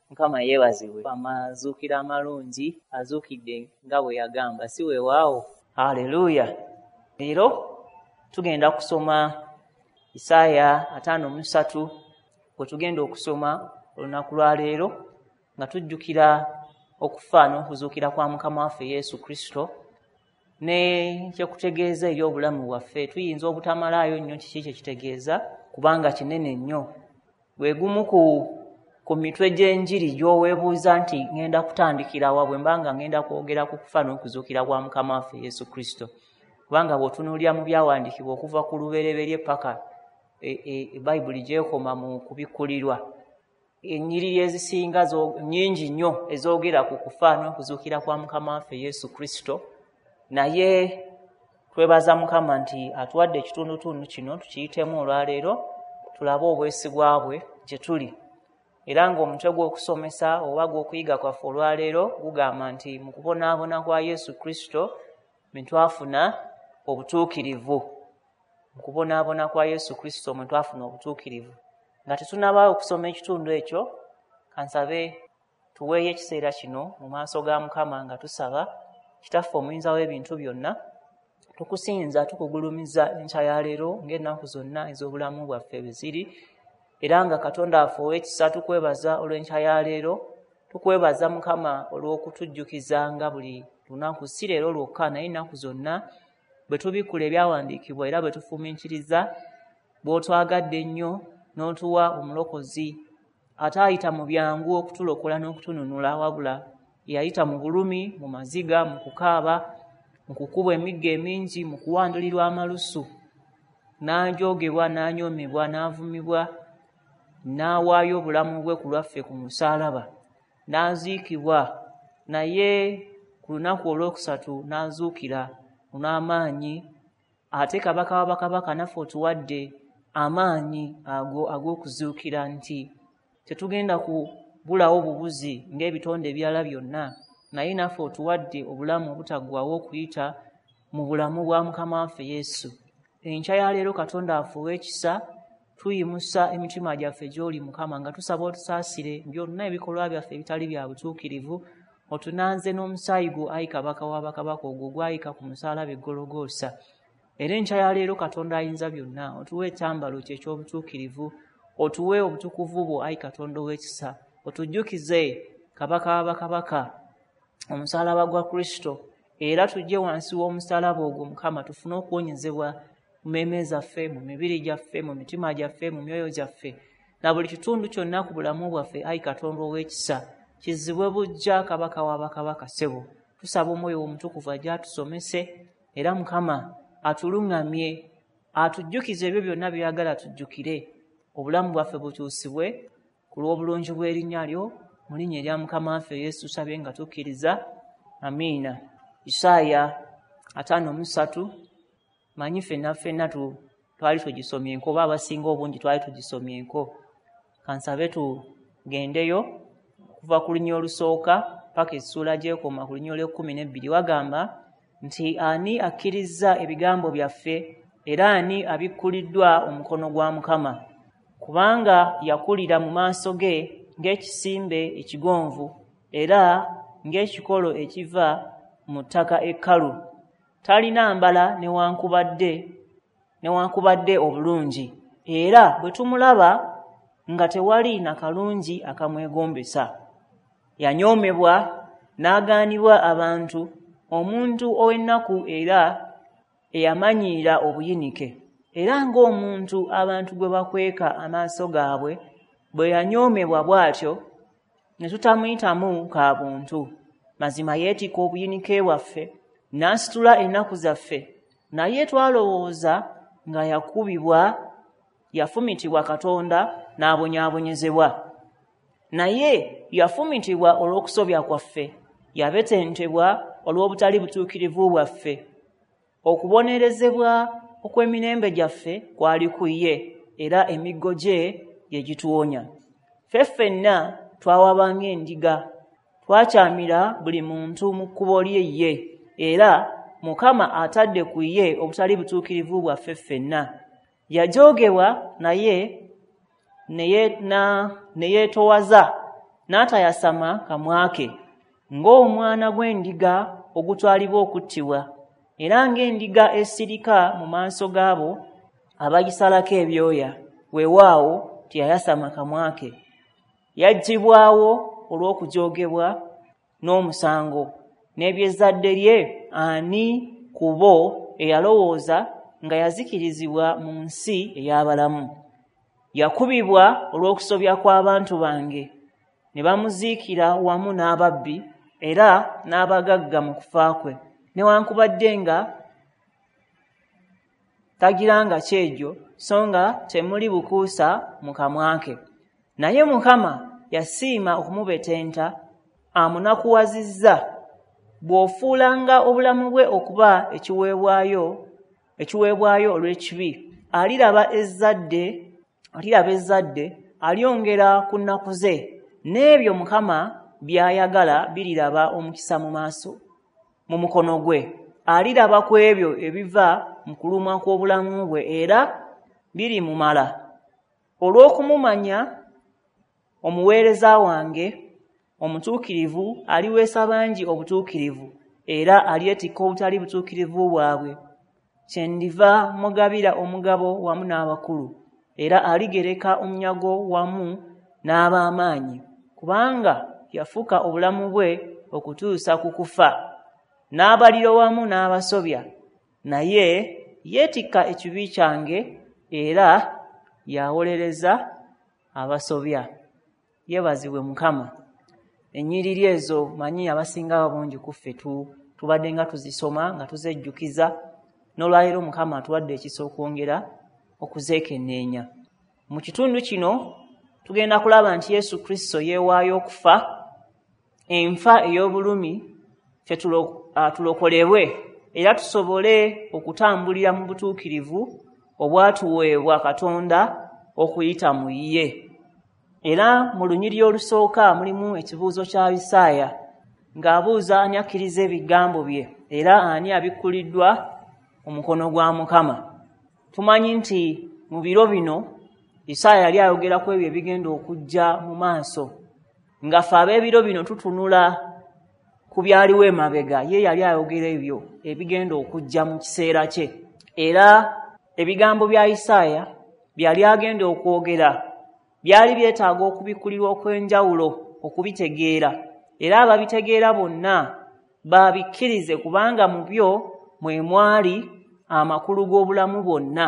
Mukama yeebazibwe. Amazuukira amalungi, azuukidde nga bwe yagamba, si weewaawo? Haleluya! Leero tugenda kusoma Isaaya 53, bwe tugenda okusoma olunaku lwa leero nga tujjukira okufa n'okuzuukira kwa Mukama waffe Yesu Kristo ne kyekutegeeza eri obulamu bwaffe. Tuyinza obutamalaayo nnyo kiki kye kitegeeza, kubanga kinene nnyo. Gwe gumu ku mitwe gy'enjiri gy'oweebuuza nti ŋŋenda kutandikira wa bwe mba nga ŋŋenda kwogera ku kufa n'okuzuukira kwa Mukama waffe Yesu Kristo. Kubanga bw'otunuulira mu byawandiikibwa okuva ku lubereberye paka Bayibuli gy'ekoma mu kubikkulirwa, ennyiriri ezisinga nnyingi nnyo ezoogera ku kufa n'okuzuukira kwa Mukama waffe Yesu Kristo. Naye twebaza Mukama nti atuwadde ekitundutundu kino tukiyitemu olwaleero, tulabe obwesigwa bwe gye tuli. Era ng'omutwe gw'okusomesa oba gw'okuyiga kwaffe olwaleero gugamba nti mu kubonaabona kwa Yesu Kristo mwe twafuna obutuukirivu. Mu kubonaabona kwa Yesu Kristo mwe twafuna obutuukirivu. Nga tetunnabaawo okusoma ekitundu ekyo, kansabe tuweeyo ekiseera kino mu maaso ga Mukama nga tusaba. Kitaffe omuyinza w'ebintu byonna, tukusinza, tukugulumiza enkya ya leero ng'ennaku zonna ez'obulamu bwaffe bwe ziri. Era nga Katonda waffe ow'ekisa tukwebaza olw'enkya ya leero, tukwebaza Mukama olw'okutujjukizanga buli lunaku, si leero lwokka naye ennaku zonna bwe tubikkula ebyawandiikibwa era bwe tufumiitiriza bw'otwagadde ennyo n'otuwa omulokozi ataayita mu byangu okutulokola n'okutununula, wabula yayita mu bulumi, mu maziga, mu kukaaba, mu kukubwa emiggo emingi, mu kuwandulirwa amalusu, n'ajoogebwa, n'anyoomebwa, n'avumibwa, n'awaayo obulamu bwe ku lwaffe ku musaalaba, n'aziikibwa, naye ku lunaku olwokusatu n'azuukira n'amaanyi. Ate Kabaka wa bakabaka naffe otuwadde amaanyi ago ag'okuzuukira, nti tetugenda kubulawo bubuzi ng'ebitonde ebirala byonna, naye naffe otuwadde obulamu obutaggwaawo okuyita mu bulamu bwa Mukama waffe Yesu. Enkya ya leero Katonda waffe ow'ekisa, tuyimusa emitima gyaffe gy'oli Mukama, nga tusaba otusaasire byonna ebikolwa byaffe ebitali bya butuukirivu, otunaaze n'omusaayi gwo ayi Kabaka wa bakabaka ogwo ogwayika ku musaalaba e Gologoosa. Era enkya ya leero Katonda ayinza byonna, otuwe ekyambalo kye eky'obutuukirivu, otuwe obutukuvu bwo ayi Katonda ow'ekisa, otujjukize Kabaka wa bakabaka omusaalaba gwa Kristo, era tujje wansi w'omusaalaba ogwo Mukama, tufune okuwonyezebwa mu mmeeme zaffe, mu mibiri gyaffe, mu mitima gyaffe, mu myoyo gyaffe, na buli kitundu kyonna ku bulamu bwaffe ayi Katonda ow'ekisa, kizibwe buggya Kabaka wa bakabaka. Ssebo, tusaba Omwoyo Omutukuvu ajje atusomese, era Mukama atuluŋŋamye, atujjukize ebyo byonna by'oyagala tujjukire, obulamu bwaffe bukyusibwe ku lw'obulungi bw'erinnya lyo, mu linnya erya Mukama waffe Yesu tusabye nga tukkiriza, amiina. Isaaya 53, manyi ffenna ffenna twali tugisomyenko, oba abasinga obungi twali tugisomyenko. Kansabe tugendeyo okuva ku lunya olusooka paka essuula gy'ekoma ku lunya olw'e12. Wagamba nti ani akkirizza ebigambo byaffe, era ani abikkuliddwa omukono gwa Mukama? Kubanga yakulira mu maaso ge ng'ekisimbe ekigonvu, era ng'ekikolo ekiva mu ttaka ekkalu. Talina mbala newankubadde obulungi, era bwe tumulaba nga tewali na kalungi akamwegombesa. Yanyoomebwa n'agaanibwa abantu, omuntu ow'ennaku era eyamanyiira obuyinike, era ng'omuntu abantu gwe bakweka amaaso gaabwe bwe yanyoomebwa bw'atyo, ne tutamuyitamu ka buntu. Mazima yeetikka obuyinike bwaffe, n'asitula ennaku zaffe, naye twalowooza nga yakubibwa, yafumitibwa Katonda n'abonyaabonyezebwa. Naye yafumitibwa olw'okusobya kwaffe, yabetentebwa olw'obutali butuukirivu bwaffe. Okubonerezebwa okw'emirembe gyaffe kwali ku ye, era emiggo gye ye gituwonya. Ffe ffenna twawaba ng'endiga, twakyamira buli muntu mu kkubo lye ye, era Mukama atadde ku ye obutali butuukirivu bwaffe ffenna. Yajoogebwa naye ne yeetoowaza, n'atayasama kamwa ke, ng'omwana gw'endiga ogutwalibwa okuttibwa, era ng'endiga esirika mu maaso gaabo abagisalako ebyoya, weewaawo teyayasama kamwa ke. Yaggyibwawo olw'okujoogebwa n'omusango, n'eby'ezzadde lye ani ku bo eyalowooza nga yazikirizibwa mu nsi ey'abalamu? Yakubibwa olw'okusobya kw'abantu bange, ne bamuziikira wamu n'ababbi era n'abagagga mu kufa kwe, newankubadde nga tagiranga kyejo, so nga temuli bukuusa mu kamwa ke. Naye Mukama yasiima okumubetenta, amunakuwazizza. Bw'ofuulanga obulamu bwe okuba ekiweebwayo olw'ekibi, aliraba ezzadde, alyongera ku nnaku ze, n'ebyo Mukama by'ayagala biriraba omukisa mu maaso mu mukono gwe. Aliraba ku ebyo ebiva mu kulumwa kw'obulamu bwe, era birimumala. Olw'okumumanya omuweereza wange omutuukirivu aliweesa bangi obutuukirivu, era alyetikka obutali butuukirivu bwabwe. Kyendiva mugabira omugabo wamu n'abakulu, era aligereka omunyago wamu n'ab'amaanyi, kubanga yafuka obulamu bwe okutuusa ku kufa, n'abalira wamu n'abasobya. Naye yeetikka ekibi kyange, era yawolereza abasobya. Yeebazibwe Mukama. Ennyiriri ezo manyi abasinga bungi ku ffe tubadde nga tuzisoma nga tuzejjukiza, n'olwaleero Mukama atuwadde ekisa okwongera okuzeekenneenya. Mu kitundu kino tugenda kulaba nti Yesu Kristo yeewaayo okufa enfa ey'obulumi, ffe tulokolebwe era tusobole okutambulira mu butuukirivu obwatuweebwa Katonda okuyita mu ye. Era mu lunyiriri olusooka mulimu ekibuuzo kya Isaaya ng'abuuza ani akkiriza ebigambo bye, era ani abikkuliddwa omukono gwa Mukama. Tumanyi nti mu biro bino Isaaya yali ayogera ku ebyo ebigenda okujja mu maaso, nga ffe ab'ebiro bino tutunula ku byaliwo emabega, ye yali ayogera ebyo ebigenda okujja mu kiseera kye. Era ebigambo bya Isaaya byali agenda okwogera byali byetaaga okubikkulirwa okw'enjawulo okubitegeera, era ababitegeera bonna babikkirize, kubanga mu byo mwe mwali amakulu g'obulamu bwonna.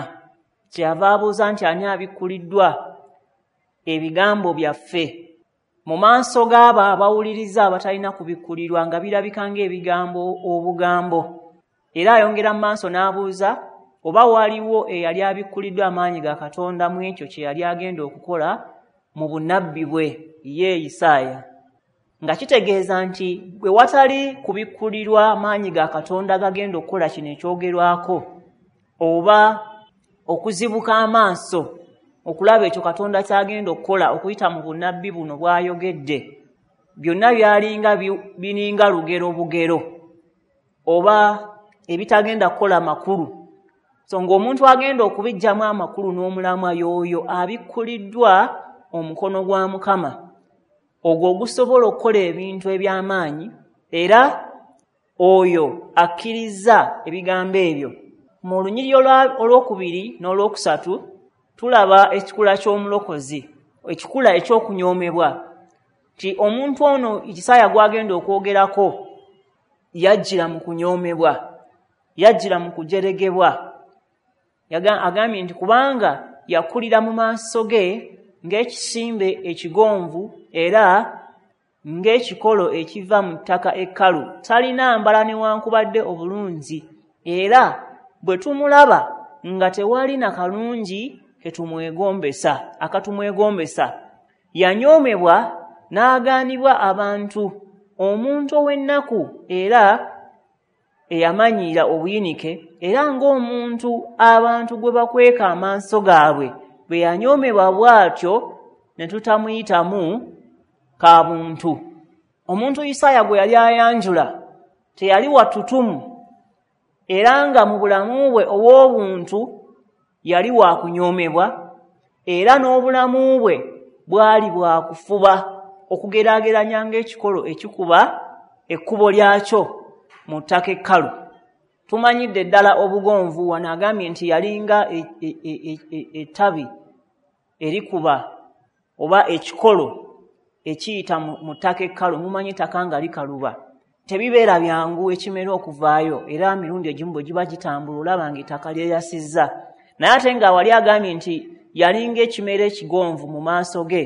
Kyeyava abuuza nti ani abikkuliddwa ebigambo byaffe mu maaso g'abo abawuliriza abatalina kubikkulirwa, nga birabika ng'ebigambo obugambo. Era ayongera mu maaso n'abuuza oba waliwo eyali abikkuliddwa amaanyi ga Katonda mu ekyo kye yali agenda okukola mu bunnabbi bwe ye Isaaya, nga kitegeeza nti bwe watali kubikkulirwa maanyi ga Katonda gagenda okukola kino ekyogerwako, oba okuzibuka amaaso okulaba ekyo Katonda ky'agenda okukola okuyita mu bunnabbi buno bw'ayogedde, byonna byalinga bininga lugero bugero oba ebitagenda kukola makulu. So ng'omuntu agenda okubiggyamu amakulu n'omulamwa y'oyo abikkuliddwa omukono gwa Mukama, ogwo ogusobola okukola ebintu eby'amaanyi, era oyo akkiriza ebigambo ebyo. Mu lunyiriri olwokubiri n'olwokusatu tulaba ekikula ky'omulokozi, ekikula eky'okunyoomebwa, nti omuntu ono Isaaya gw'agenda okwogerako yajjira mu kunyoomebwa, yajjira mu kujeregebwa. Agambye nti kubanga yakulira mu maaso ge ng'ekisimbe ekigonvu era ng'ekikolo ekiva mu ttaka ekkalu, talina mbala newankubadde obulungi, era bwe tumulaba nga tewali na kalungi ketumwegombesa akatumwegombesa. Yanyoomebwa n'agaanibwa abantu, omuntu ow'ennaku era eyamanyiira obuyinike, era ng'omuntu abantu gwe bakweka amaaso gaabwe, bwe yanyoomebwa bw'atyo ne tutamuyitamu ka buntu. Omuntu Isaaya gwe yali ayanjula teyali wa ttutumu, era nga mu bulamu bwe obw'obuntu yali wa kunyoomebwa, era n'obulamu bwe bwali bwa kufuba. okugeraageranya ng'ekikolo ekikuba ekkubo lyakyo mu ttaka ekkalu. Tumanyidde ddala obugonvu. Wano agambye nti yalinga ettabi erikuba oba ekikolo ekiyita mu ttaka ekkalu. Mumanyi ettaka nga likaluba, tebibeera byangu ekimera okuvaayo, era mirundi egimu bwe giba gitambula olaba ng'ettaka lyeyasizza. Naye ate nga wali agambye nti yalinga ekimera ekigonvu mu maaso ge,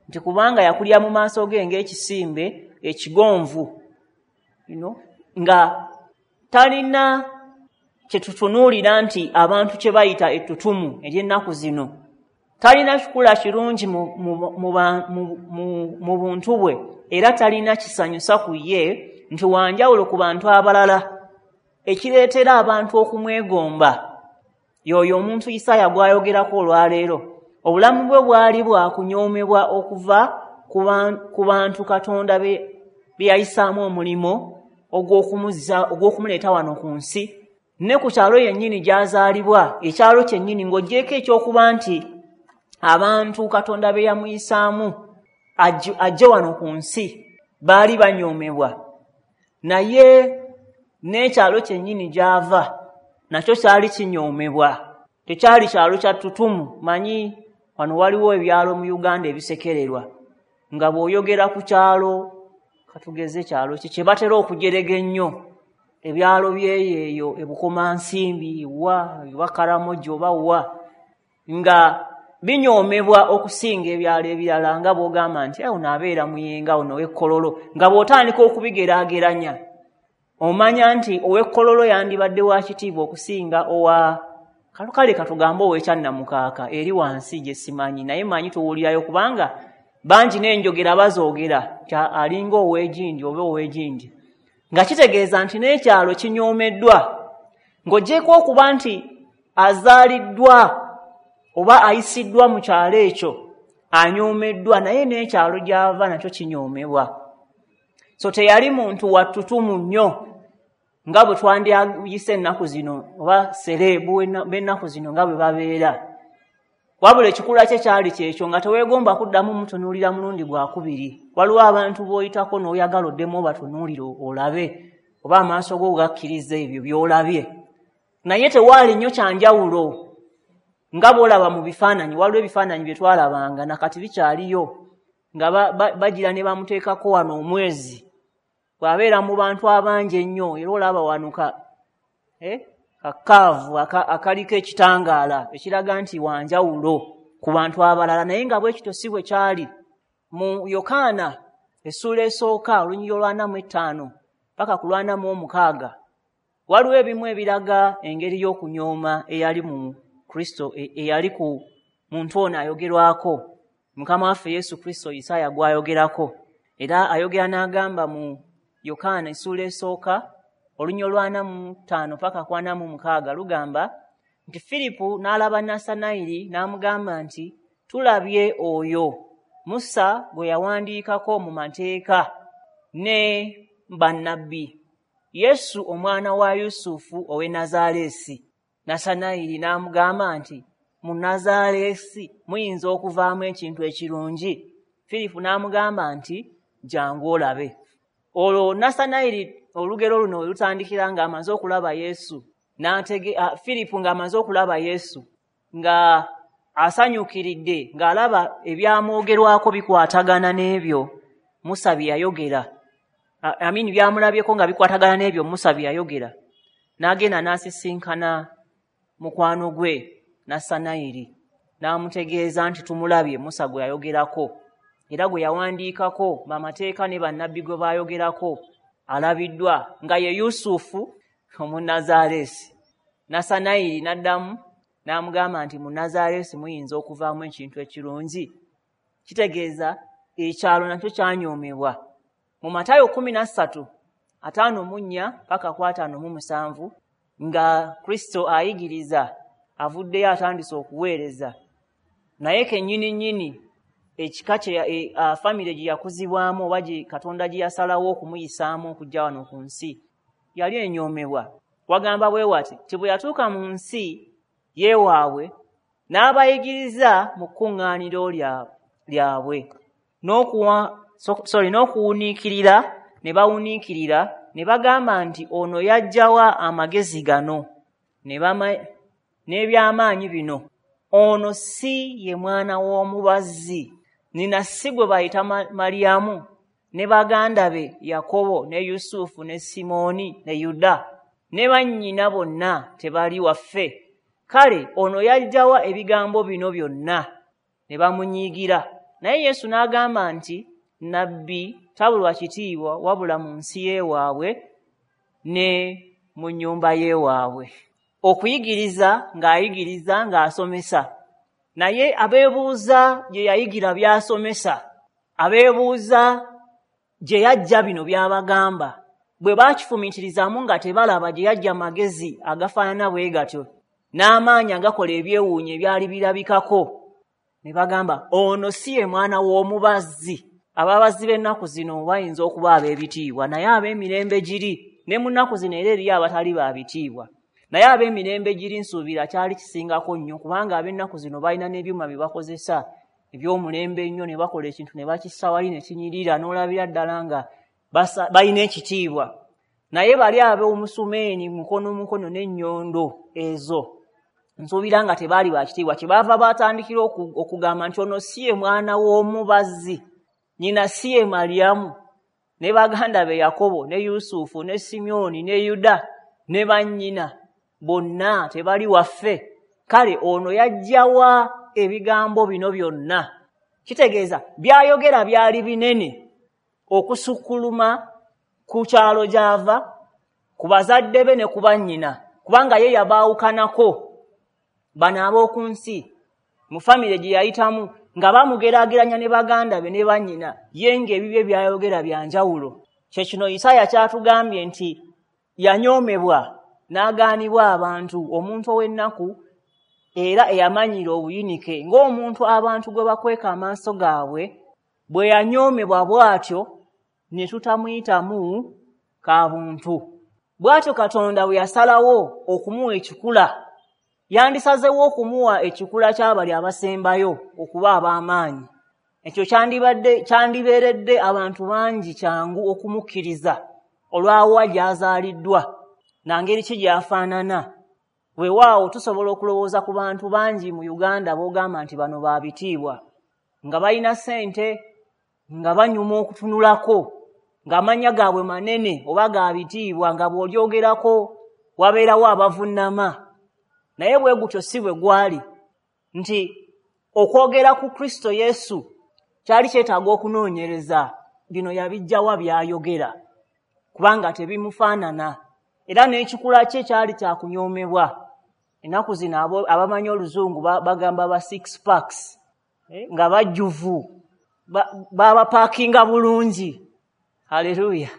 nti kubanga yakulira mu maaso ge ng'ekisimbe ekigonvu, nga talina kye tutunuulira nti abantu kye bayita ettutumu ery'ennaku zino. Talina kikula kirungi mu buntu bwe, era talina kisanyusa ku ye nti wanjawulo ku bantu abalala, ekireetera abantu okumwegomba. Y'oyo omuntu Isaaya gw'ayogerako olwaleero. Obulamu bwe bwali bwakunyoomebwa okuva ku bantu Katonda be yayisaamu omulimu ogw'okumuleeta wano ku nsi, ne ku kyalo yennyini gy'azaalibwa, ekyalo kyennyini, ng'oggyeko ekyokuba nti abantu Katonda be yamuyisaamu ajje wano ku nsi baali banyoomebwa, naye n'ekyalo kyennyini gy'ava nakyo kyali kinyoomebwa. Tekyali kyalo kya ttutumu. Manyi wano waliwo ebyalo mu Uganda ebisekererwa, nga bw'oyogera ku kyalo, katugeze kyalo ki kye batera okujerega ennyo, ebyalo byeyo eyo eBukomansimbi wa oba Karamoja oba wa, nga binyoomebwa okusinga ebyalo ebirala, nga bw'ogamba nti ono abeera Muyenga, ono ow'Ekkololo, nga bw'otandika okubigeraageranya omanya nti ow'Ekkololo yandibadde wa kitiibwa okusinga owa kale katugambe ow'Ekyannamukaaka eri wansi gye simanyi, naye manyi tuwulirayo kubanga bangi n'enjogera bazoogera alinga ow'egindi oba ow'egindi, nga kitegeeza nti n'ekyalo kinyoomeddwa. Ng'oggyeko okuba nti azaaliddwa oba ayisiddwa mu kyalo ekyo anyoomeddwa, naye n'ekyalo gy'ava nakyo kinyoomebwa. So teyali muntu wa ttutumu nnyo nga bwe twandiyise ennaku zino oba sereebu b'ennaku zino nga bwe babeera, wabula ekikula kye kyali kyekyo, nga teweegomba kuddamu mutunuulira mulundi gwakubiri. Waliwo abantu b'oyitako n'oyagala oddemu obatunuulire olabe oba amaaso go gakkiriza ebyo by'olabye, naye tewaali nnyo kyanjawulo nga bw'olaba mu bifaananyi. Waliwo ebifaananyi bye twalabanga nakati bikyaliyo, nga bagira ne bamuteekako wano omwezi, bw'abeera mu bantu abangi ennyo, era olaba wano kakaavu akaliko ekitangaala ekiraga nti wanjawulo ku bantu abalala, naye nga bwe kityo si bwe kyali. Mu Yokaana essuula esooka olunyiriri olwa 45 paka ku lwa 46 waliwo ebimu ebiraga engeri y'okunyooma eyali mu Kristo, eyali ku muntu ono ayogerwako, Mukama waffe Yesu Kristo Isaaya gw'ayogerako. Era ayogera n'agamba mu Yokaana essuula esooka olunyiriri olwa 45 paka ku 46 lugamba nti Firipu n'alaba Nassanayiri n'amugamba nti tulabye oyo Musa gwe yawandiikako mu mateeka ne bannabbi, Yesu omwana wa Yusufu ow'e Nazaaleesi. Nassanayiri n'amugamba nti mu Nazaaleesi muyinza okuvaamu ekintu ekirungi? Firipu n'amugamba nti jangu olabe. Olwo Nassanayiri olugero luno we lutandikira ng'amaze okulaba Yesu, Firipu ng'amaze okulaba Yesu nga asanyukiridde, ng'alaba ebyamwogerwako bikwatagana n'ebyo Musa bye yayogera, byamulabyeko nga bikwatagana n'ebyo Musa bye yayogera, n'agenda n'asisinkana mukwano gwe Nassanayiri n'amutegeeza nti tumulabye Musa gwe yayogerako era gwe yawandiikako bamateeka ne bannabbi gwe baayogerako, alabiddwa nga ye Yusufu Omunnazaaleesi. Nassanayiri n'addamu n'amugamba nti mu Nazaaleesi muyinza okuvaamu ekintu ekirungi? Kitegeeza ekyalo nakyo kyanyoomebwa. Mu Matayo 13:54 paka ku 57 nga Kristo ayigiriza, avuddeyo atandise okuweereza, naye kennyini nnyini ekika kye famire gye yakuzibwamu oba Katonda gye yasalawo okumuyisaamu okujja wano ku nsi yali enyoomebwa. Wagamba bwe wati ti bwe yatuuka mu nsi yeewaabwe n'abayigiriza mu kkuŋŋaaniro lyabwe, sorry, n'okuwuniikirira ne bawuniikirira ne bagamba nti ono yaggyawa amagezi gano n'ebyamaanyi bino. Ono si ye mwana w'omubazzi, nina si gwe bayita Mariyamu ne baganda be Yakobo ne Yusufu ne Simooni ne Yuda ne bannyina bonna tebali waffe? Kale ono yaggyawa ebigambo bino byonna? Ne bamunyiigira. Naye Yesu n'agamba nti nabbi tabulwa kitiibwa wabula mu nsi y'ewaabwe ne mu nnyumba y'ewaabwe. Okuyigiriza ng'ayigiriza ng'asomesa, naye abeebuuza gye yayigira by'asomesa, abeebuuza gye yajja bino by'abagamba, bwe baakifumiitirizaamu nga tebalaba gye yajja magezi agafaanana bwe gatyo n'amaanyi agakola ebyewuunyo ebyali birabikako, ne bagamba ono si ye mwana w'omubazzi. Ababazzi b'ennaku zino bayinza okuba ab'ebitiibwa, naye ab'emirembe giri ne mu nnaku zino era eriyo abatali ba bitiibwa. Naye ab'emirembe giri nsuubira kyali kisingako nnyo, kubanga ab'ennaku zino balina n'ebyuma bye bakozesa eby'omulembe ennyo, ne bakola ekintu ne bakissa wali ne kinyirira n'olabira ddala nga balina ekitiibwa. Naye bali ab'omusumeeni mukono mukono n'ennyondo ezo nsuubira nga tebaali ba kitiibwa. Kyebaava batandikira okugamba nti ono si ye mwana w'omubazzi, nnyina si ye Mariyamu ne baganda be Yakobo ne Yusufu ne Simyoni ne Yuda ne bannyina bonna tebali waffe? Kale ono yaggyawa ebigambo bino byonna? Kitegeeza byayogera byali binene okusukkuluma ku kyalo gy'ava, ku bazadde be ne ku bannyina, kubanga ye yabaawukanako bano ab'oku nsi mu famire gye yayitamu nga bamugeraageranya ne baganda be ne bannyina, ye ng'ebibye byayogera bya njawulo. Kye kino Isaaya kyatugambye nti yanyoomebwa n'agaanibwa abantu, omuntu ow'ennaku era eyamanyira obuyinike, ng'omuntu abantu gwe bakweka amaaso gaabwe. Bwe yanyoomebwa bw'atyo ne tutamuyitamu kabuntu. Bw'atyo Katonda bwe yasalawo okumuwa ekikula, yandisazeewo okumuwa ekikula ky'abali abasembayo okuba ab'amaanyi. Ekyo kyandibeeredde abantu bangi kyangu okumukkiriza olw'awa gy'azaaliddwa na ngeri ki gy'afaanana. Weewaawo tusobola okulowooza ku bantu bangi mu Uganda b'ogamba nti bano ba bitiibwa, nga balina ssente, nga banyuma okutunulako, ng'amannya gaabwe manene oba ga bitiibwa, nga bw'olyogerako wabeerawo abavunnama. Naye bwe gutyo si bwe gwali, nti okwogera ku Kristo Yesu kyali kyetaaga okunoonyereza bino yabiggyawa by'ayogera, kubanga tebimufaanana. Era n'ekikula kye kyali kyakunyoomebwa. Ennaku zino abamanyi oluzungu bagamba ba six packs, nga bajjuvu, babapaakinga bulungi. Haleluya!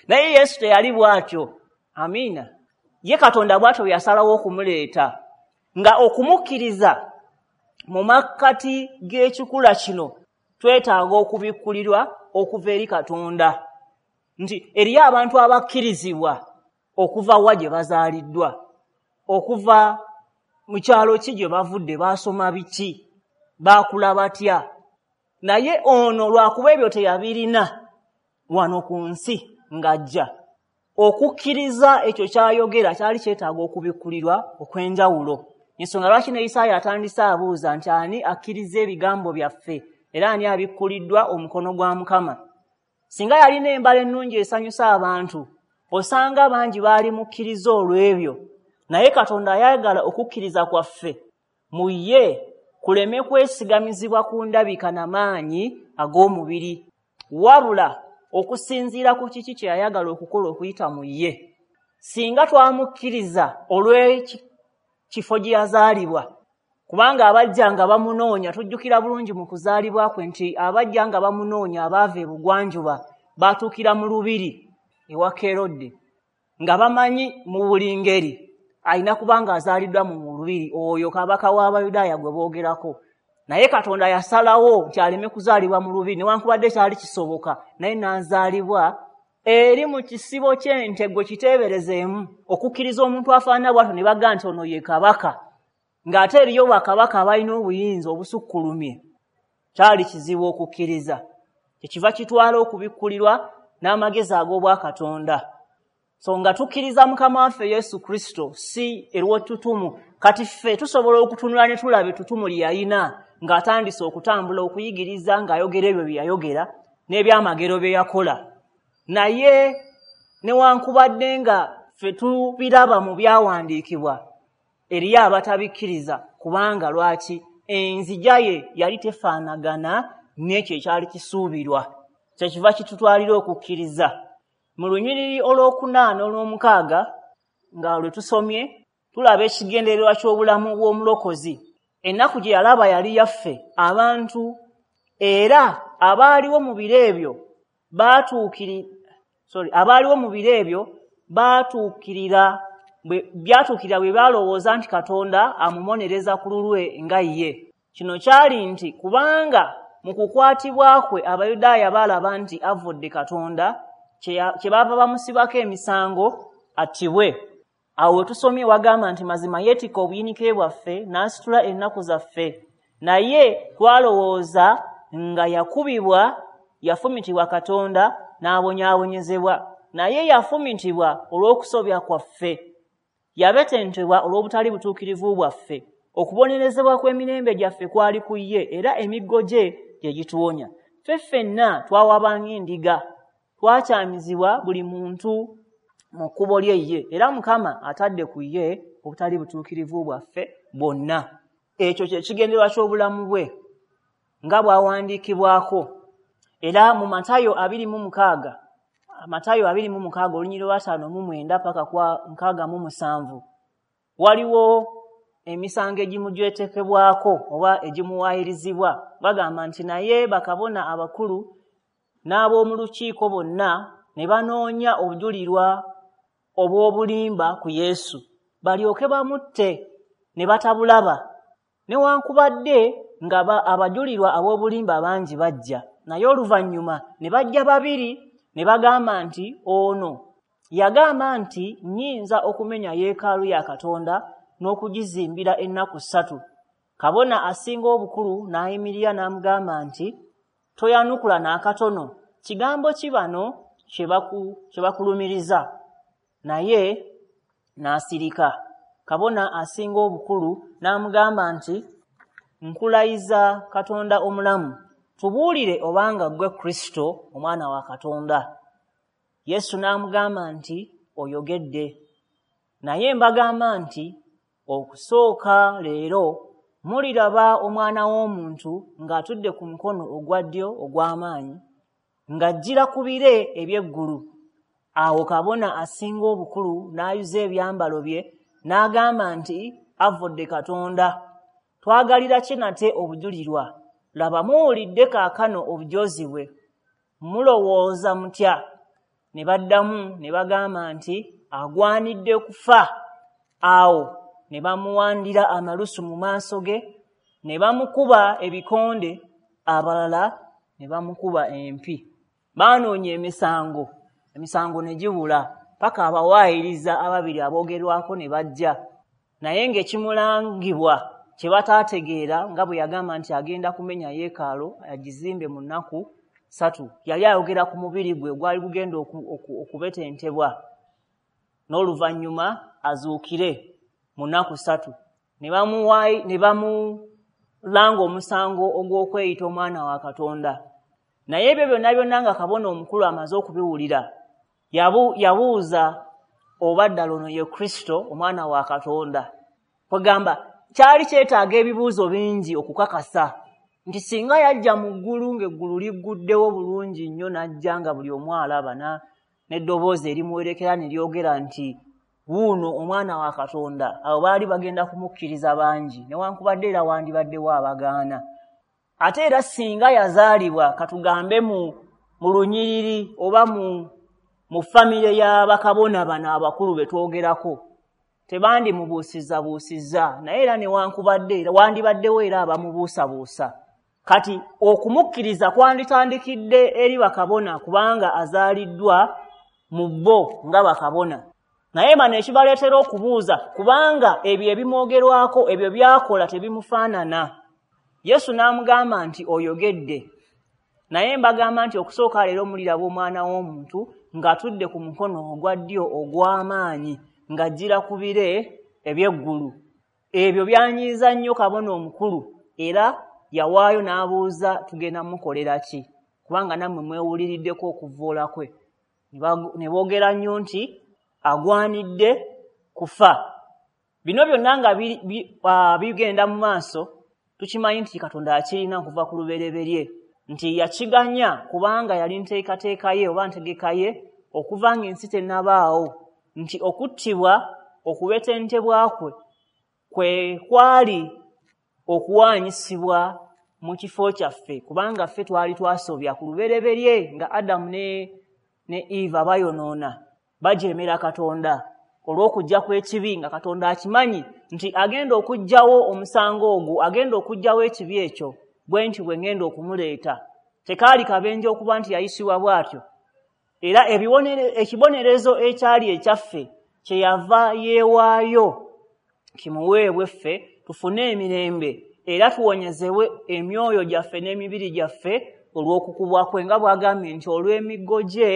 Naye Yesu teyali bw'atyo. Amiina. Ye Katonda bw'atyo bwe yasalawo okumuleeta, nga okumukkiriza mu makkati g'ekikula kino twetaaga okubikkulirwa okuva eri Katonda, nti eriyo abantu abakkirizibwa okuva wa gye bazaaliddwa, okuva mu kyalo ki gye bavudde, baasoma biki, baakula batya. Naye ono lwakuba ebyo teyabirina wano ku nsi ng'ajja, okukkiriza ekyo ky'ayogera kyali kyetaaga okubikkulirwa okw'enjawulo. Ensonga lwaki ne Isaaya atandise abuuza nti ani akkiriza ebigambo byaffe, era ani abikkuliddwa omukono gwa Mukama. Singa yalina embala ennungi esanyusa abantu, osanga bangi baali mukkiriza olw'ebyo. Naye Katonda ayagala okukkiriza kwaffe mu ye kuleme kwesigamizibwa ku ndabika na maanyi ag'omubiri, wabula okusinziira ku kiki kye yayagala okukola okuyita mu ye. Singa twamukkiriza olw'ekifo gye yazaalibwa, kubanga abajja nga bamunoonya, tujjukira bulungi mu kuzaalibwa kwe nti abajja nga bamunoonya abaava ebugwanjuba baatuukira mu lubiri ewa Kerode, nga bamanyi mu buli ngeri alina kubanga azaaliddwa mu lubiri oyo kabaka w'Abayudaaya gwe boogerako. Naye Katonda yasalawo nti aleme kuzaalibwa mu lubiri, newankubadde kyali kisoboka, naye n'azaalibwa eri mu kisibo ky'ente gwe kiteeberezeemu. Okukkiriza omuntu afaanana bw'atyo ne bagamba nti ono ye kabaka, ng'ate eriyo bakabaka abalina obuyinza obusukkulumye, kyali kizibu okukkiriza. Kyekiva kitwala okubikkulirwa n'amagezi ag'obwakatonda. So nga tukkiriza Mukama waffe Yesu Kristo si erw'ettutumu. Kati ffe tusobola okutunula ne tulaba ettutumu lye yalina ng'atandise okutambula, okuyigiriza, ng'ayogera ebyo bye yayogera n'ebyamagero bye yakola. Naye newankubadde nga ffe tubiraba mu byawandiikibwa, eriyo abatabikkiriza, kubanga lwaki? Enzija ye yali tefaanagana n'ekyo ekyali kisuubirwa. Kyekiva kitutwalira okukkiriza. Mu lunyiriri olwokuna n'olwomukaaga nga lwe tusomye, tulaba ekigendererwa ky'obulamu bw'omulokozi. Ennaku gye yalaba yali yaffe abantu, era abaaliwo mu biro ebyo byatuukirira bwe baalowooza nti Katonda amubonereza ku lulwe nga ye. Kino kyali nti kubanga mu kukwatibwa kwe Abayudaaya baalaba nti avudde Katonda, kye baava bamusibako emisango attibwe. Awo we tusomye wagamba nti mazima yeetikka obuyinike bwaffe n'asitula ennaku zaffe, naye twalowooza nga yakubibwa, yafumitibwa Katonda n'abonyaabonyezebwa. Naye yafumitibwa olw'okusobya kwaffe, yabetentebwa olw'obutali butuukirivu bwaffe. Okubonerezebwa kw'emirembe gyaffe kwali ku ye, era emiggo gye gye gituwonya. Ffe ffenna twawaba ng'endiga, twakyamizibwa buli muntu mu kkubo lye ye, era Mukama atadde ku ye obutali butuukirivu bwaffe bwonna. Ekyo kye kigendererwa ky'obulamu bwe nga bw'awandiikibwako. Era mu Matayo 26, Matayo 26 olunyiriri lwa 59 paka kwa 67, waliwo emisango egimujwetekebwako oba egimuwaayirizibwa. Bagamba nti naye bakabona abakulu n'ab'omu lukiiko bonna ne banoonya obujulirwa obw'obulimba ku Yesu, balyoke bamutte, ne batabulaba. Newankubadde nga abajulirwa ab'obulimba bangi bajja, naye oluvannyuma ne bajja babiri ne bagamba nti ono yagamba nti nnyinza okumenya yeekaalu ya Katonda n'okugizimbira ennaku 3. Kabona asinga obukulu n'ayimirira n'amugamba nti toyanukula n'akatono, kigambo ki bano kye bakulumiriza? Naye n'asirika. Kabona asinga obukulu n'amugamba nti nkulayiza Katonda omulamu, tubuulire obanga ggwe Kristo omwana wa Katonda. Yesu n'amugamba nti oyogedde. Naye mbagamba nti okusooka leero muliraba Omwana w'Omuntu ng'atudde ku mukono ogwa ddyo ogw'amaanyi, ng'ajjira ku bire eby'eggulu. Awo kabona asinga obukulu n'ayuza ebyambalo bye n'agamba nti avudde Katonda. Twagalira ki nate obujulirwa? Laba muwulidde kaakano obujozi bwe. Mulowooza mutya? Ne baddamu ne bagamba nti agwanidde kufa. Awo ne bamuwandira amalusu mu maaso ge, ne bamukuba ebikonde, abalala ne bamukuba empi. Baanoonya emisango, emisango ne gibula, paka abawaayiriza ababiri aboogerwako ne bajja. Naye ng'ekimulangibwa kye bataategeera, nga bwe yagamba nti agenda kumenya yeekaalu agizimbe mu nnaku 3, yali ayogera ku mubiri gwe gwali gugenda okubetentebwa, n'oluvannyuma azuukire mu nnaku 3. Ne bamulanga omusango ogw'okweyita omwana wa Katonda. Naye ebyo byonna byonna nga kabona omukulu amaze okubiwulira, yabuuza oba ddala ono ye Kristo omwana wa Katonda. Kwegamba kyali kyetaaga ebibuuzo bingi okukakasa nti singa yajja mu ggulu ng'eggulu ligguddewo bulungi nnyo, n'ajja nga buli omu alaba, n'eddoboozi erimuwerekera ne lyogera nti wuuno omwana wa Katonda, abo baali bagenda kumukkiriza bangi, newankubadde era wandibaddewo abagaana. Ate era singa yazaalibwa, katugambe mu lunyiriri oba mu famire y'abakabona bano abakulu be twogerako, tebandimubuusizzabuusizza, naye era newankubadde wandibaddewo era abamubuusabuusa. Kati okumukkiriza kwanditandikidde eri bakabona, kubanga azaaliddwa mu bo nga bakabona. Naye bano ekibaleetera okubuuza, kubanga ebyo ebimwogerwako, ebyo by'akola tebimufaanana. Yesu n'amugamba nti oyogedde. Naye mbagamba nti okusooka leero muliraba Omwana w'Omuntu ng'atudde ku mukono ogwa ddyo ogw'amaanyi, ng'ajjira ku bire eby'eggulu. Ebyo byanyiiza nnyo kabona omukulu, era yawaayo n'abuuza, tugenda mukolera ki? Kubanga nammwe mwewuliriddeko okuvvoola kwe. Ne boogera nnyo nti agwanidde kufa. Bino byonna nga bigenda mu maaso, tukimanyi nti Katonda akirina okuva ku lubereberye, nti yakiganya kubanga yali nteekateeka ye oba ntegeka ye okuva ng'ensi tennabaawo, nti okuttibwa, okubetentebwa kwe kwe kwali okuwaanyisibwa mu kifo kyaffe, kubanga ffe twali twasobya ku lubereberye nga Adamu ne Eva bayonoona, bajeemera Katonda olw'okujja kw'ekibi, nga Katonda akimanyi nti agenda okuggyawo omusango ogwo, agenda okuggyawo ekibi ekyo, bwe nti bwe ngenda okumuleeta. Tekaali kabenje okuba nti yayisibwa bw'atyo, era ekibonerezo ekyali ekyaffe kyeyava yeewaayo kimuweebwe ffe tufune emirembe, era tuwonyezebwe emyoyo gyaffe n'emibiri gyaffe olw'okukubwa kwe, nga bw'agambye nti olw'emiggo gye,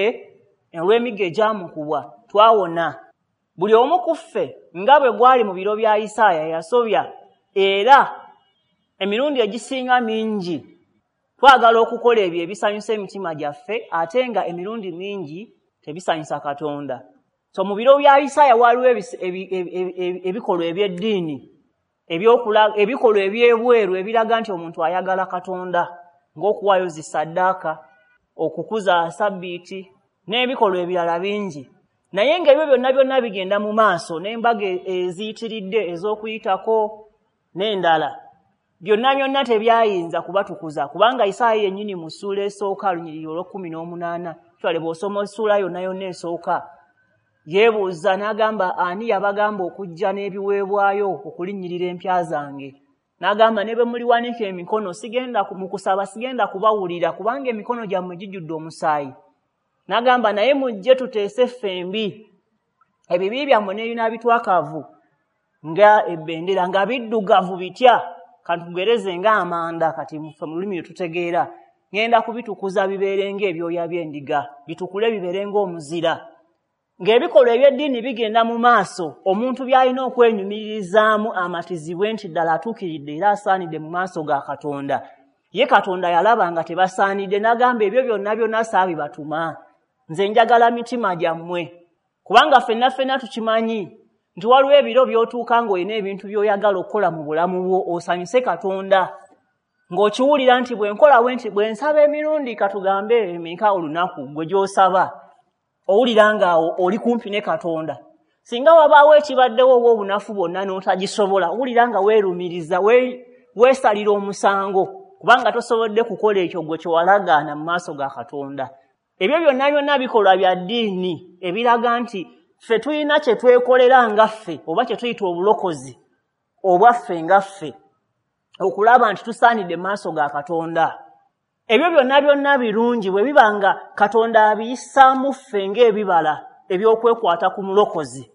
olw'emiggo egyamukubwa twawona. Buli omu ku ffe nga bwe gwali mu biro bya Isaaya yasobya, era emirundi egisinga mingi twagala okukola ebyo ebisanyusa emitima gyaffe, ate nga emirundi mingi tebisanyusa Katonda. So mu biro bya Isaaya waliwo ebikolwa eby'eddiini, ebikolwa eby'ebweru ebiraga nti omuntu ayagala Katonda, ng'okuwaayo zisaddaaka, okukuza sabbiiti n'ebikolwa ebirala bingi. Naye ng'ebyo byonna byonna bigenda mu maaso, n'embaga eziyitiridde ez'okuyitako n'endala, byonna byonna tebyayinza kubatukuza, kubanga Isaaya yennyini mu ssuula esooka lunyiriri olw'18, twale bw'osoma essuula yonna yonna esooka, yeebuuza n'agamba, ani yabagamba okujja n'ebiweebwayo okulinnyirira empya zange? N'agamba, ne bwe muliwanika emikono sigenda mu kusaba, sigenda kubawulira, kubanga emikono gyammwe gijjudde omusaayi. N'agamba, naye mujje tuteese ffembi, ebibi byammwe n'ebinaabitwakavu nga ebbendera, nga biddugavu bitya, kantugereze ng'amanda, kati ffe mu lulimi lwe tutegeera, ngenda kubitukuza bibeere ng'ebyoya by'endiga, bitukule bibeere ng'omuzira. Ng'ebikolwa eby'eddiini bigenda mu maaso, omuntu by'alina okwenyumiririzaamu amatizibwe nti ddala atuukiridde era asaanidde mu maaso ga Katonda. Ye Katonda yalaba nga tebasaanidde, n'agamba ebyo byonna byonna saabibatuma, nze njagala mitima gyammwe. Kubanga ffenna ffenna tukimanyi nti waliwo ebiro by'otuuka ng'olina ebintu by'oyagala okukola mu bulamu bwo osanyuse Katonda, ng'okiwulira nti bwe nkola bwe nti bwe nsaba emirundi katugambe emeka olunaku gwe gy'osaba, owulira ng'awo oli kumpi ne Katonda. Singa wabaawo ekibaddewo oba obunafu bwonna n'otagisobola, owulira nga weerumiriza, weesalira omusango, kubanga tosobodde kukola ekyo gwe kye walagaana mu maaso ga Katonda. Ebyo byonna byonna bikolwa bya ddiini ebiraga nti ffe tulina kye twekolera nga ffe, oba kye tuyita obulokozi obwaffe nga ffe, okulaba nti tusaanidde mu maaso ga Katonda. Ebyo byonna byonna birungi bwe biba nga Katonda abiyisaamu ffe ng'ebibala eby'okwekwata ku mulokozi.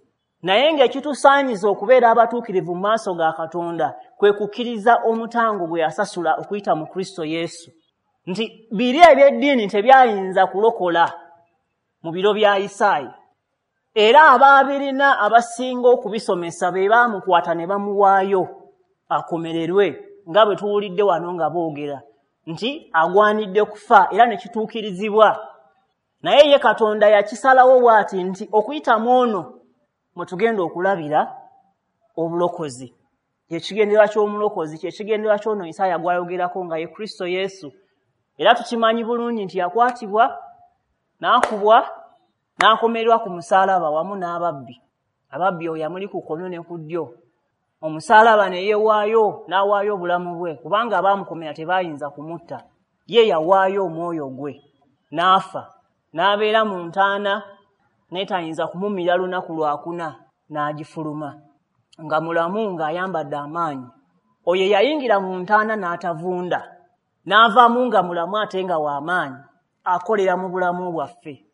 Naye ng'ekitusaanyiza okubeera abatuukirivu mu maaso ga Katonda kwe kukkiriza omutango gwe yasasula okuyita mu Kristo Yesu. Nti biri eby'eddiini tebyayinza kulokola mu biro bya Isaaya, era abaabirina abasinga okubisomesa be baamukwata ne bamuwaayo akomererwe, nga bwe tuwulidde wano nga boogera nti agwanidde kufa, era ne kituukirizibwa. Naye ye Katonda yakisalawo bw'ati nti okuyita mu ono mwe tugenda okulabira obulokozi. Kyekigendererwa ky'omulokozi, kyekigendererwa ky'ono Isaaya gw'ayogerako nga ye Kristo Yesu. Era tukimanyi bulungi nti yakwatibwa, n'akubwa, n'akomererwa ku musaalaba wamu n'ababbi. Ababbi oyo yamuli ku kkono ne ku ddyo. Omusaalaba ne yeewaayo, n'awaayo obulamu bwe, kubanga abaamukomera tebaayinza kumutta. Ye yawaayo omwoyo gwe, n'afa, n'abeera mu ntaana, n'etayinza kumumira lunaku lwakuna, n'agifuluma nga mulamu, ng'ayambadde amaanyi. Oyo yayingira mu ntaana n'atavunda, n'avaamu nga mulamu ate nga w'amaanyi, akolera mu bulamu bwaffe.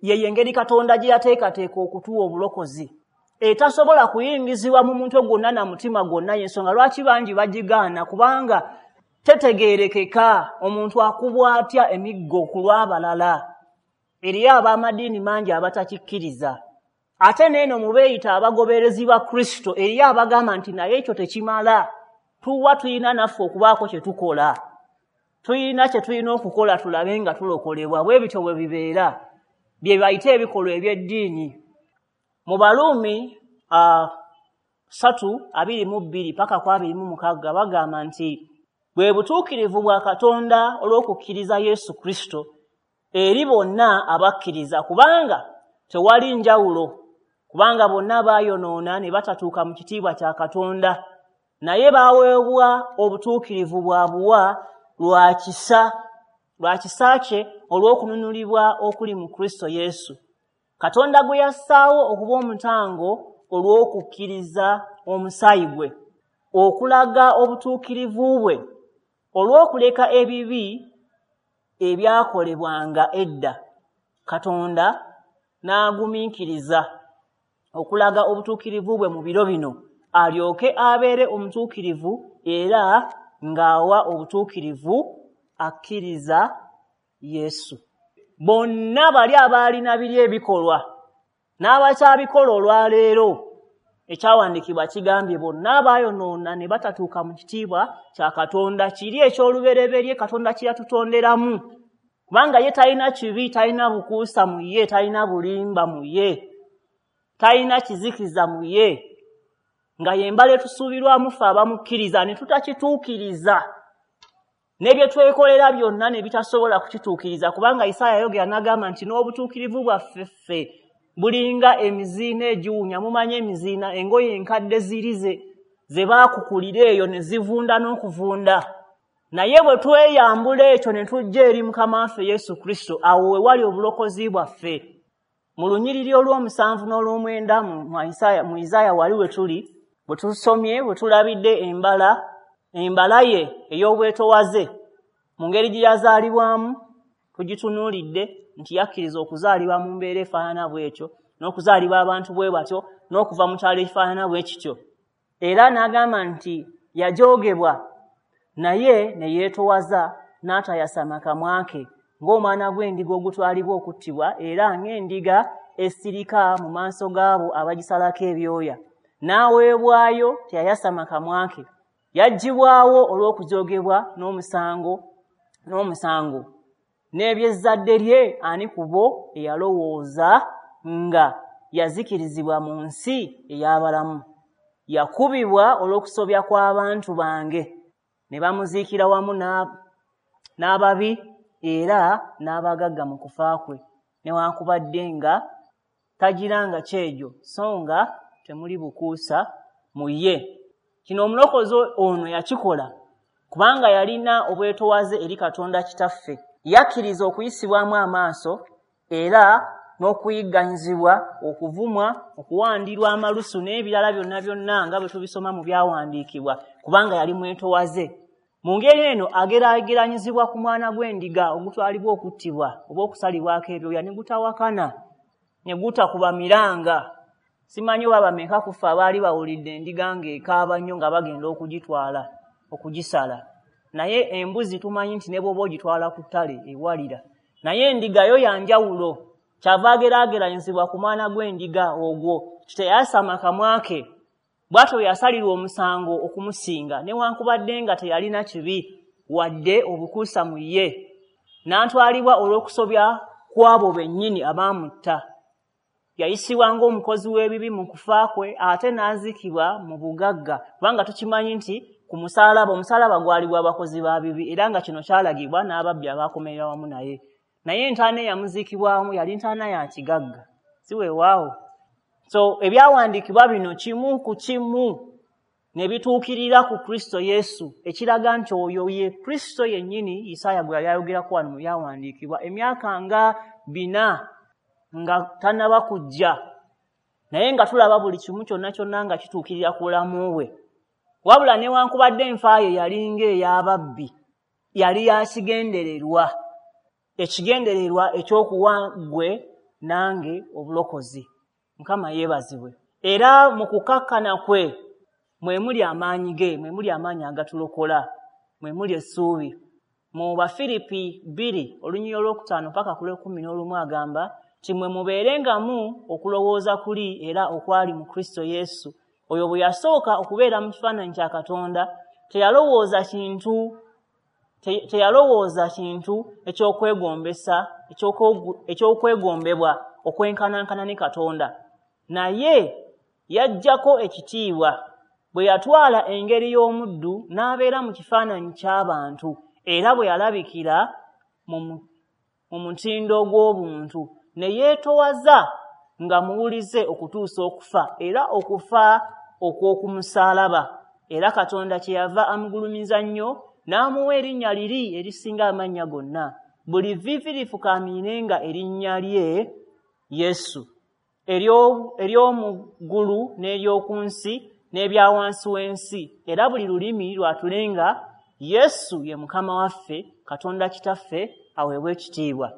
Ye engeri Katonda gye yateekateeka okutuwa obulokozi etasobola kuyingizibwa mu mutwe gwonna na mutima gwonna. Y'ensonga lwaki bangi bagigaana, kubanga Tetegeerekeka omuntu akubwa atya emiggo ku lw'abalala. Eriyo ab'amadiini mangi abatakikkiriza. Ate n'eno mu beeyita abagoberezi ba Kristo eriyo abagamba nti naye ekyo tekimala, tuwa tulina naffe okubaako kye tukola, tulina kye tulina okukola tulabe nga tulokolebwa. Bwe bityo bwe bibeera, bye bayita ebikolwa eby'eddiini. Mu Baruumi 3:22 paka ku 26 bagamba nti bwe butuukirivu bwa Katonda olw'okukkiriza Yesu Kristo eri bonna abakkiriza, kubanga tewali njawulo, kubanga bonna baayonoona ne batatuuka mu kitiibwa kya Katonda, naye baaweebwa obutuukirivu bwa buwa lwa kisa kye olw'okununulibwa okuli mu Kristo Yesu, Katonda gwe yassaawo okuba omutango olw'okukkiriza omusaayi gwe, okulaga obutuukirivu bwe olw'okuleka ebibi ebyakolebwanga edda. Katonda n'agumiikiriza okulaga obutuukirivu bwe mu biro bino, alyoke abeere omutuukirivu era ng'awa obutuukirivu akkiriza Yesu. Bonna bali abaalina biri ebikolwa n'abakyabikola olwaleero, ekyawandiikibwa kigambye bonna abaayonoona ne batatuuka mu kitiibwa kya Katonda, kiri eky'olubereberye Katonda kye yatutonderamu. Kubanga ye talina kibi, talina bukuusa mu ye, talina bulimba mu ye, talina kizikiza mu ye, nga y'embala etusuubirwamu ffe abamukkiriza ne tutakituukiriza, n'ebye twekolera byonna ne bitasobola kukituukiriza. Kubanga Isaaya yayogera n'agamba nti n'obutuukirivu bwaffe ffe bulinga emiziina egiwunya. Mumanyi emiziina, engoye enkadde ziri ze baakukulira eyo ne zivunda n'okuvunda. Naye bwe tweyambula ekyo ne tujja eri Mukama waffe Yesu Kristo, awo we wali obulokozi bwaffe. Mu lunyiriri olw'omusanvu n'olw'omwenda mu Isaaya wali we tuli, bwe tusomye, bwe tulabidde embala ye ey'obwetowaze mu ngeri gye yazaalibwamu, tugitunuulidde nti yakkiriza okuzaalibwa mu mbeera efaanana bw'etyo, n'okuzaalibwa abantu bwe batyo, n'okuva mu kyalo ekifaanana bwe kityo. Era n'agamba nti yajoogebwa naye ne yeetowaza n'atayasama kamwa ke, ng'omwana gw'endiga ogutwalibwa okuttibwa, era ng'endiga esirika mu maaso gaabo abagisalako ebyoya. N'aweebwayo teyayasama kamwa ke, yaggyibwawo olw'okujoogebwa n'omusango. N'eby'ezzadde lye ani ku bo eyalowooza nga yazikirizibwa mu nsi ey'abalamu? Yakubibwa olw'okusobya kw'abantu bange, ne bamuziikira wamu n'ababi era n'abagagga mu kufa kwe, newankubadde nga tagiranga kyejo, so nga temuli bukuusa mu ye. Kino omulokozi ono yakikola kubanga yalina obwetowaze eri Katonda Kitaffe. Yakkiriza okuyisibwamu amaaso era n'okuyigganyizibwa, okuvumwa, okuwandirwa amalusu n'ebirala byonna byonna nga bwe tubisoma mu byawandiikibwa, kubanga yali mwetowaze. Mu ngeri eno ageraageranyizibwa ku mwana gw'endiga ogutwalibwa okuttibwa oba okusalibwako ebyoya ne gutawakana, ne gutakuba miranga. Simanyi oba bameka ku ffe abaali bawulidde endiga ng'ekaaba nnyo nga bagenda okugitwala okugisala. Naye embuzi tumanyi nti ne bw'oba ogitwala ku ttale ewalira, naye endiga yo ya njawulo. Kyava ageraageranyizibwa ku mwana gw'endiga ogwo, teyasama kamwa ke, bw'atyo yasalirwa omusango okumusinga, newankubadde nga teyalina kibi wadde obukuusa mu ye, n'atwalibwa olw'okusobya kw'abo bennyini abaamutta. Yayisibwa ng'omukozi w'ebibi mu kufa kwe, ate n'aziikibwa mu bugagga, kubanga tukimanyi nti ku musaalaba, omusaalaba gwali gw'abakozi ba bibi, era nga kino kyalagibwa n'ababbi abaakomerera wamu naye. Naye entaana eyamuziikibwamu yali ntaana ya kigagga, si weewaawo? So ebyawandiikibwa bino kimu ku kimu ne bituukirira ku Kristo Yesu, ekiraga nti oyo ye Kristo yennyini Isaaya gwe yali ayogerako wano mu byawandiikibwa emyaka nga 4 nga tannaba kujja, naye nga tulaba buli kimu kyonna kyonna nga kituukirira ku bulamu bwe. Wabula newankubadde enfa ye yalinga ey'ababbi, yali yakigendererwa, ekigendererwa eky'okuwa ggwe nange obulokozi. Mukama yeebazibwe. Era mu kukakkana kwe mwe muli amaanyi ge, mwe muli amaanyi agatulokola. mwe muli essuubi. Mu Bafiripi 2 olunyiriri olwokutaano paka ku lw'ekkumi n'olumu agamba nti mwe mubeerengamu okulowooza kuli era okwali mu Kristo Yesu. Oyo bwe yasooka okubeera mu kifaananyi kya Katonda teyalowooza kintu ekyokwegombebwa okwenkanankana ne Katonda, naye yaggyako ekitiibwa bwe yatwala engeri y'omuddu n'abeera mu kifaananyi ky'abantu, era bwe yalabikira mu mutindo gw'obuntu ne yeetowaza nga muwulize okutuusa okufa, era okufa okw'okumusaalaba. Era Katonda kyeyava amugulumiza nnyo n'amuwa erinnya liri erisinga amannya gonna, buli vviivi lifukaamirenga erinnya lye Yesu, ery'omu ggulu n'ery'oku nsi n'ebya wansi w'ensi, era buli lulimi lwatulenga Yesu ye Mukama waffe, Katonda Kitaffe aweebwe ekitiibwa.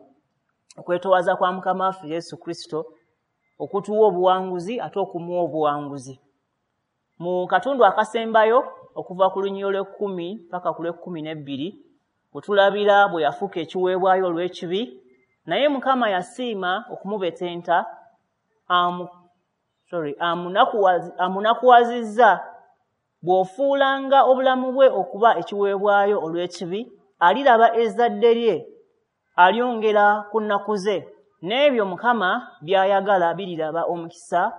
Okwetowaza kwa Mukama waffe Yesu Kristo okutuwa obuwanguzi ate okumuwa obuwanguzi. Mu katundu akasembayo okuva ku lunyiriri olw'ekkumi paka ku lw'ekkumi n'ebbiri, bwe tulabira bwe yafuuka ekiweebwayo olw'ekibi, naye Mukama yasiima okumubetenta, amunakuwazizza. Bw'ofuulanga obulamu bwe okuba ekiweebwayo olw'ekibi, aliraba ezzadde lye, alyongera ku nnaku ze, n'ebyo Mukama by'ayagala biriraba omukisa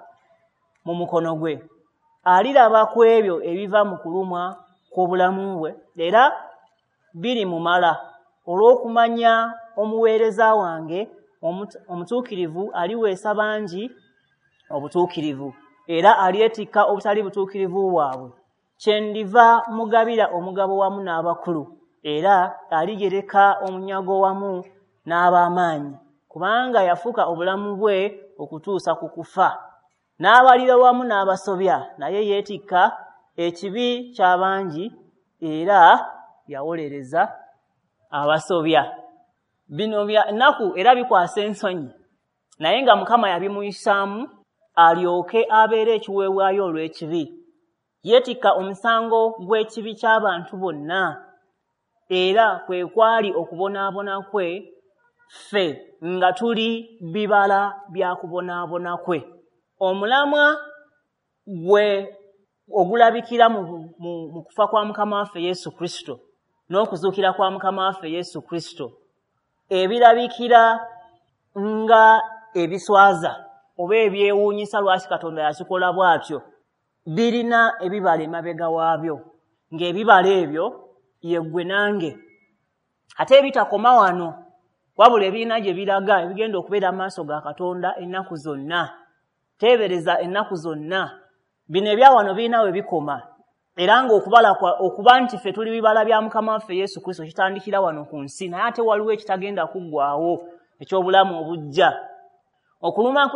mu mukono gwe. Aliraba ku ebyo ebiva mu kulumwa kw'obulamu bwe, era birimumala olw'okumanya omuweereza wange omutuukirivu aliweesa bangi obutuukirivu, era alyetikka obutali butuukirivu bwabwe. Kyendiva mugabira omugabo wamu n'abakulu, era aligereka omunyago wamu n'ab'amaanyi, kubanga yafuka obulamu bwe okutuusa ku kufa, n'abalira wamu n'abasobya, naye yeetikka ekibi ky'abangi era yawolereza abasobya. Bino bya nnaku era bikwasa ensonyi, naye nga Mukama yabimuyisaamu alyoke abeere ekiweebwayo olw'ekibi. Yeetikka omusango gw'ekibi ky'abantu bonna, era kwe kwali okubonaabona kwe, ffe nga tuli bibala bya kubonaabona kwe. Omulamwa gwe ogulabikira mu kufa kwa Mukama waffe Yesu Kristo n'okuzuukira kwa Mukama waffe Yesu Kristo, ebirabikira nga ebiswaza oba ebyewuunyisa lwaki Katonda yakikola bw'atyo, birina ebibala emabega waabyo, ng'ebibala ebyo ye ggwe nange. Ate ebitakoma wano, wabula ebirina gye biraga, ebigenda okubeera mu maaso ga Katonda ennaku zonna. Teebereza ennaku zonna. Bino ebya wano birina we bikoma, era ng'okubala okuba nti ffe tuli bibala bya Mukama waffe Yesu Kristo kitandikira wano ku nsi, naye ate waliwo ekitagenda kuggwaawo eky'obulamu obujja. Okulumwa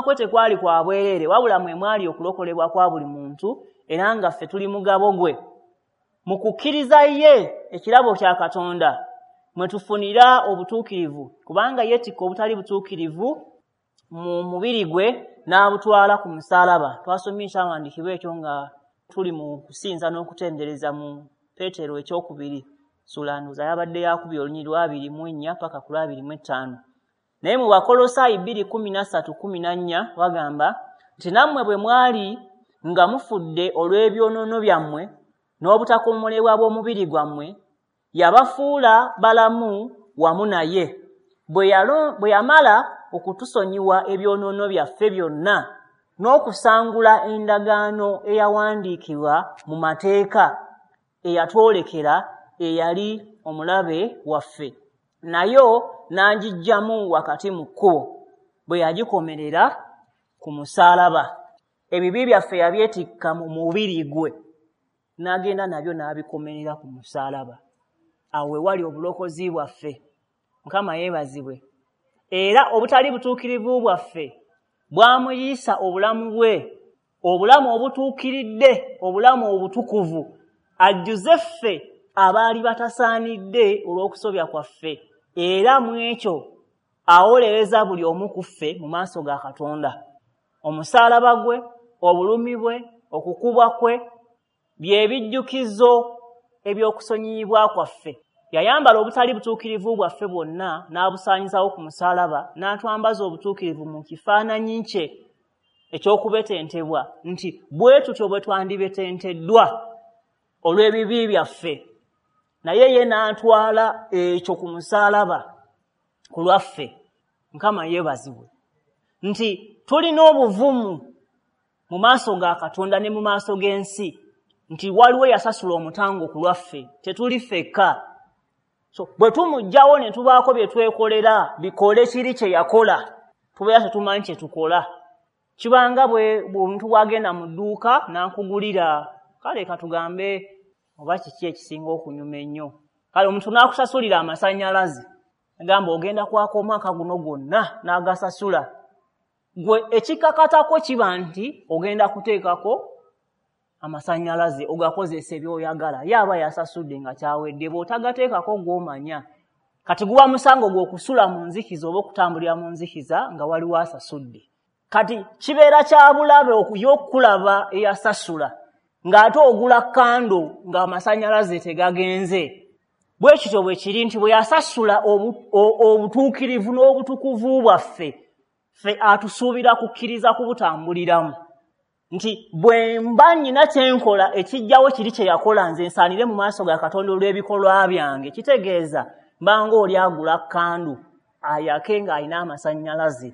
kwe tekwali kwa bwereere, wabula mwe mwali okulokolebwa kwa buli muntu, era nga ffe tuli mugabo gwe. Mu kukkiriza ye ekirabo kya Katonda mwe tufunira obutuukirivu, kubanga yeetikka obutali butuukirivu mu mubiri gwe n'abutwala ku musaalaba. Twasomye ekyawandiikibwa ekyo nga tuli mu kusinza n'okutendereza mu Peetero ekyokubiri, ssuula ndowooza yabadde yakubiri, olunyiriri lwa 24 paka ku lwa 25. Naye mu Bakolosaayi 2:13-14 wagamba nti nammwe bwe mwali nga mufudde olw'ebyonoono byammwe n'obutakomolebwa bw'omubiri gwammwe, yabafuula balamu wamu naye bwe yamala okutusonyiwa ebyonoono byaffe byonna n'okusangula endagaano eyawandiikibwa mu mateeka eyatwolekera eyali omulabe waffe, nayo n'agiggyamu wakati mu kkubo bwe yagikomerera ku musaalaba. Ebibi byaffe yabyetikka mu mubiri gwe n'agenda nabyo n'abikomerera ku musaalaba. Awo we wali obulokozi bwaffe. Mukama yeebazibwe. Era obutali butuukirivu bwaffe bwamuyisa obulamu bwe, obulamu obutuukiridde, obulamu obutukuvu, ajjuze ffe abaali batasaanidde olw'okusobya kwaffe, era mu ekyo awolereza buli omu ku ffe mu maaso ga Katonda. Omusaalaba gwe, obulumi bwe, okukubwa kwe bye bijjukizo eby'okusonyiyibwa kwaffe. Yayambala obutali butuukirivu bwaffe bwonna n'abusaanyizawo ku musaalaba, n'atwambaza obutuukirivu mu kifaananyi kye eky'okubetentebwa, nti bwe tutyo bwe twandibetenteddwa olw'ebibi byaffe, naye ye n'atwala ekyo ku musaalaba ku lwaffe. Mukama yeebazibwe nti tulina obuvumu mu maaso ga Katonda ne mu maaso g'ensi nti waliwo yasasula omutango ku lwaffe, tetuli ffekka. So bwe tumuggyawo ne tubaako bye twekolera bikole kiri kye yakola, tubeera tetumanyi kye tukola. Kibanga bwe omuntu bw'agenda mu dduuka n'akugulira, kale katugambe oba kiki ekisinga okunyuma ennyo, kale omuntu n'akusasulira amasannyalaze, agamba ogenda kwaka omwaka guno gwonna n'agasasula. Gwe ekikakatako kiba nti ogenda kuteekako amasannyalaze ogakozesa by'oyagala, ye aba yasasudde nga kyawedde, bw'otagateekako gw'omanya. Kati guba musango gw'okusula mu nzikiza oba okutambulira mu nzikiza nga waliwo asasudde. Kati kibeera kya bulabe okukulaba eyasasula ng'ate ogula kando ng'amasannyalaze tegagenze. Bwe kityo bwe kiri nti bwe yasasula obutuukirivu n'obutukuvu bwaffe, ffe atusuubira kukkiriza kubutambuliramu. Nti bwe mba nnyina kye nkola ekijjawo kiri kye yakola, nze nsaanire mu maaso ga Katonda olw'ebikolwa byange, kitegeeza mba ng'oli agula kandu ayake ng'alina amasannyalaze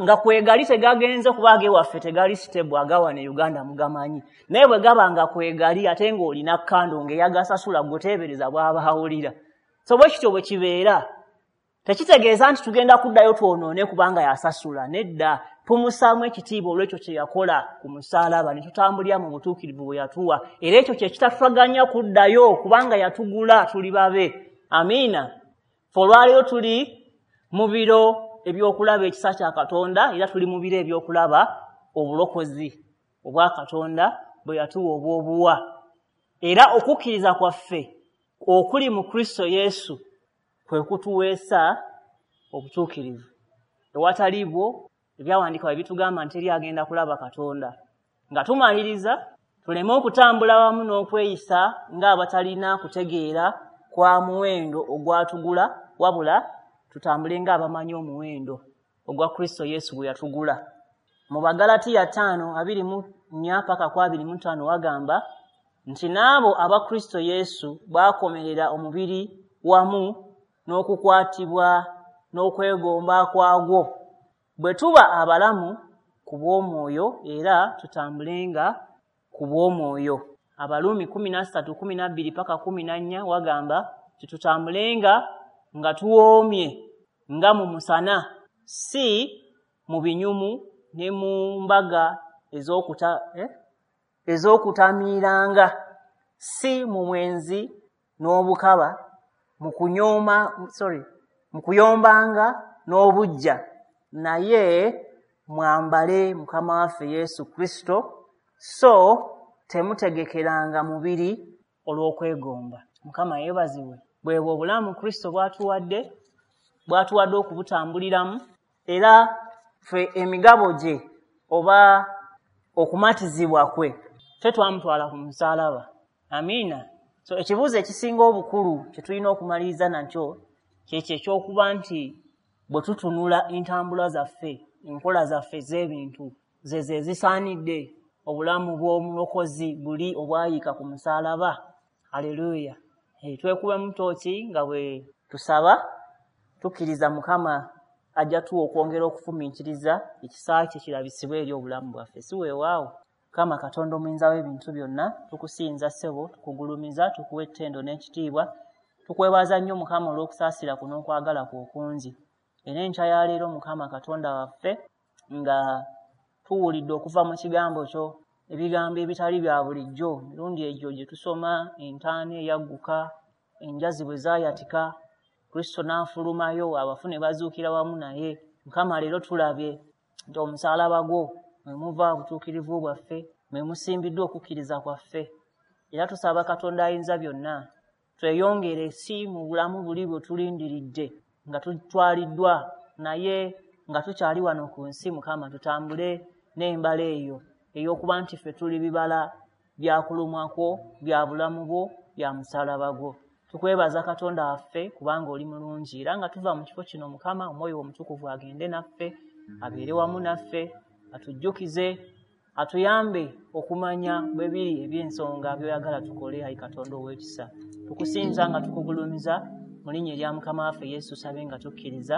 nga kwegali tegagenze, kuba ag'ewaffe tegali stable, agawa ne Uganda mugamanyi, naye bwe gaba nga kwegali ate ng'olina kando ng'eyagasasula gwe teebereza bw'aba awulira. So bwe kityo bwe kibeera, tekitegeeza nti tugenda kuddayo twonoone kubanga yasasula, nedda, tumussaamu ekitiibwa olw'ekyo kye yakola ku musaalaba ne tutambulira mu butuukirivu bwe yatuwa, era ekyo kye kitatutaganya kuddayo kubanga yatugula, tuli babe. Amiina. Ffe olwaleero tuli mu biro ebyokulaba ekisa kya Katonda, era tuli mu biro ebyokulaba obulokozi obwa Katonda bwe yatuwa obw'obuwa. Era okukkiriza kwaffe okuli mu Kristo Yesu kwe kutuweesa obutuukirivu. Ewatali bwo, ebyawandiikibwa bitugamba nti teri agenda kulaba Katonda. Nga tumaliriza, tuleme okutambula wamu n'okweyisa ng'abatalina kutegeera kwa muwendo ogwatugula, wabula tutambule ng'abamanyi omuwendo ogwa Kristo Yesu bwe yatugula. Mu Bagalatiya 5:24-25 wagamba nti n'abo aba Kristo Yesu baakomerera omubiri wamu n'okukwatibwa n'okwegomba kwagwo. Bwe tuba abalamu ku bw'omwoyo, era tutambulenga ku bw'omwoyo. Abaluumi 13:12-14 wagamba tutambulenga nga tuwoomye nga mu musana, si mu binyumu ne mu mbaga ez'okutamiiranga, si mu mwenzi n'obukaba, mu kuyombanga n'obuggya, naye mwambale Mukama waffe Yesu Kristo, so temutegekeranga mubiri olw'okwegomba. Mukama yeebazibwe. Bwebwo obulamu Kristo bw'atuwadde, bw'atuwadde okubutambuliramu, era ffe emigabo gye oba okumatizibwa kwe ffe twamutwala ku musaalaba. Amiina. So ekibuuzo ekisinga obukulu kye tulina okumaliriza nakyo kyekyo ekyokuba nti bwe tutunula entambula zaffe, enkola zaffe ez'ebintu ze zisaanidde obulamu bw'omulokozi buli obwayiika ku musaalaba. Haleluya. Twekubemu tooki nga bwe tusaba, tukkiriza Mukama ajja tuwa okwongera okufumiitiriza ekisa kye kirabisibwe eri obulamu bwaffe. Si weewaawo. Mukama Katonda omuyinza w'ebintu byonna, tukusinza ssebo, tukugulumiza, tukuwa ettendo n'ekitiibwa. Tukwebaza nnyo Mukama olw'okusaasira kuno n'okwagala kwo okungi. Era enkya ya leero Mukama Katonda waffe, nga tuwulidde okuva mu kigambo kyo ebigambo ebitali bya bulijjo, emirundi egyo gye tusoma entaana eyagguka, enjazi bwe zaayatika, Kristo n'afulumayo, abafu ne bazuukira wamu naye. Mukama leero tulabye nti omusaalaba gwo mwe muva obutuukirivu bwaffe, mwe musimbiddwa okukkiriza kwaffe. Era tusaba Katonda ayinza byonna tweyongere si mu bulamu buli bwe tulindiridde nga tutwaliddwa, naye nga tukyali wano ku nsi. Mukama tutambule n'embala eyo ey'okuba nti ffe tuli bibala bya kulumwa kwo, bya bulamu bwo, bya musalaba gwo. Tukwebaza Katonda waffe kubanga oli mulungi, era nga tuva mu kifo kino Mukama, Omwoyo Omutukuvu agende naffe, abeere wamu naffe, atujjukize, atuyambe okumanya bwe biri eby'ensonga by'oyagala tukole. Ayi Katonda ow'ekisa, tukusinza nga tukugulumiza mu linnya erya Mukama waffe Yesu, sabe nga tukkiriza.